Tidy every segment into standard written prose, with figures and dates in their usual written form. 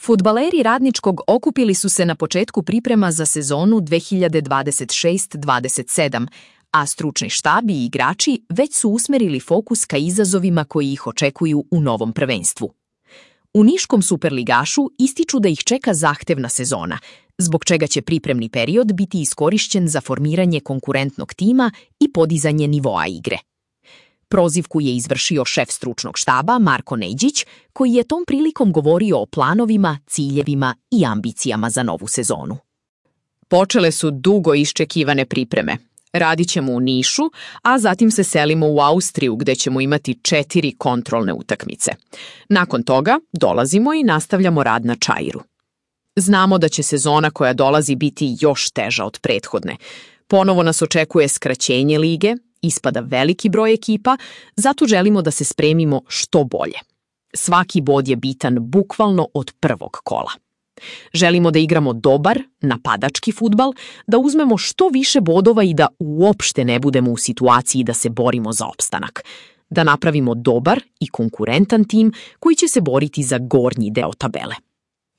Fudbaleri Radničkog okupili su se na početku priprema za sezonu 2026-27, a stručni štab i igrači već su usmerili fokus ka izazovima koji ih očekuju u novom prvenstvu. U niškom superligašu ističu da ih čeka zahtevna sezona, zbog čega će pripremni period biti iskorišćen za formiranje konkurentnog tima i podizanje nivoa igre. Prozivku je izvršio šef stručnog štaba Marko Neđić, koji je tom prilikom govorio o planovima, ciljevima i ambicijama za novu sezonu. Počele su dugo iščekivane pripreme. Radit ćemo u Nišu, a zatim se selimo u Austriju gde ćemo imati 4 kontrolne utakmice. Nakon toga dolazimo i nastavljamo rad na Čairu. Znamo da će sezona koja dolazi biti još teža od prethodne. Ponovo nas očekuje skraćenje lige, ispada veliki broj ekipa, zato želimo da se spremimo što bolje. Svaki bod je bitan bukvalno od prvog kola. Želimo da igramo dobar, napadački fudbal, da uzmemo što više bodova i da uopšte ne budemo u situaciji da se borimo za opstanak. Da napravimo dobar i konkurentan tim koji će se boriti za gornji deo tabele.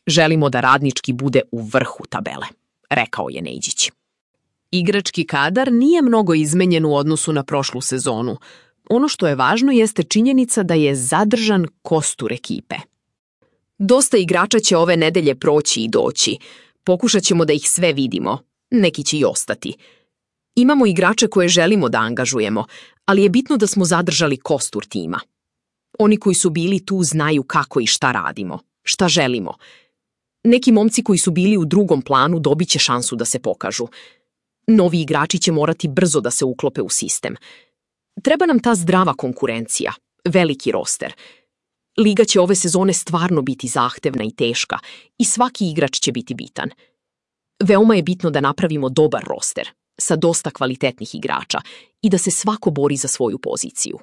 Želimo da Radnički bude u vrhu tabele, rekao je Neđić. Igrački kadar nije mnogo izmenjen u odnosu na prošlu sezonu. Ono što je važno jeste činjenica da je zadržan kostur ekipe. Dosta igrača će ove nedelje proći i doći. Pokušat ćemo da ih sve vidimo. Neki će i ostati. Imamo igrače koje želimo da angažujemo, ali je bitno da smo zadržali kostur tima. Oni koji su bili tu znaju kako i šta radimo, šta želimo. Neki momci koji su bili u drugom planu dobit će šansu da se pokažu. Novi igrači će morati brzo da se uklope u sistem. Treba nam ta zdrava konkurencija, veliki roster. Liga će ove sezone stvarno biti zahtevna i teška i svaki igrač će biti bitan. Veoma je bitno da napravimo dobar roster sa dosta kvalitetnih igrača i da se svako bori za svoju poziciju.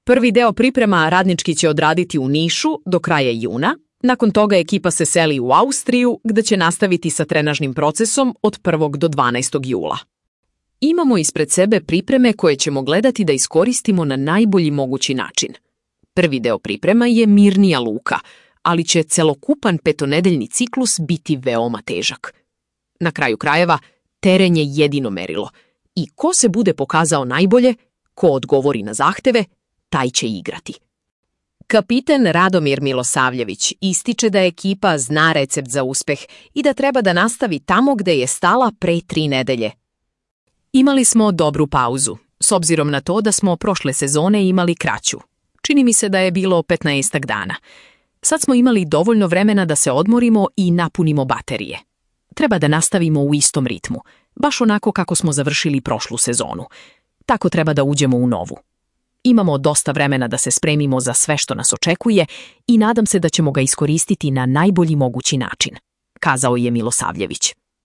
Prvi deo priprema Radnički će odraditi u Nišu do kraja juna. Nakon toga ekipa se seli u Austriju, gde će nastaviti sa trenažnim procesom od 1. do 12. jula. Imamo ispred sebe pripreme koje ćemo gledati da iskoristimo na najbolji mogući način. Prvi deo priprema je mirnija luka, ali će celokupan petonedeljni ciklus biti veoma težak. Na kraju krajeva, teren je jedino merilo i ko se bude pokazao najbolje, ko odgovori na zahteve, taj će igrati. Kapiten Radomir Milosavljević ističe da ekipa zna recept za uspeh i da treba da nastavi tamo gde je stala pre 3 nedelje. Imali smo dobru pauzu, s obzirom na to da smo prošle sezone imali kraću. Čini mi se da je bilo 15 dana. Sad smo imali dovoljno vremena da se odmorimo i napunimo baterije. Treba da nastavimo u istom ritmu, baš onako kako smo završili prošlu sezonu. Tako treba da uđemo u novu. Imamo dosta vremena da se spremimo za sve što nas očekuje i nadam se da ćemo ga iskoristiti na najbolji mogući način, kazao je Milosavljević.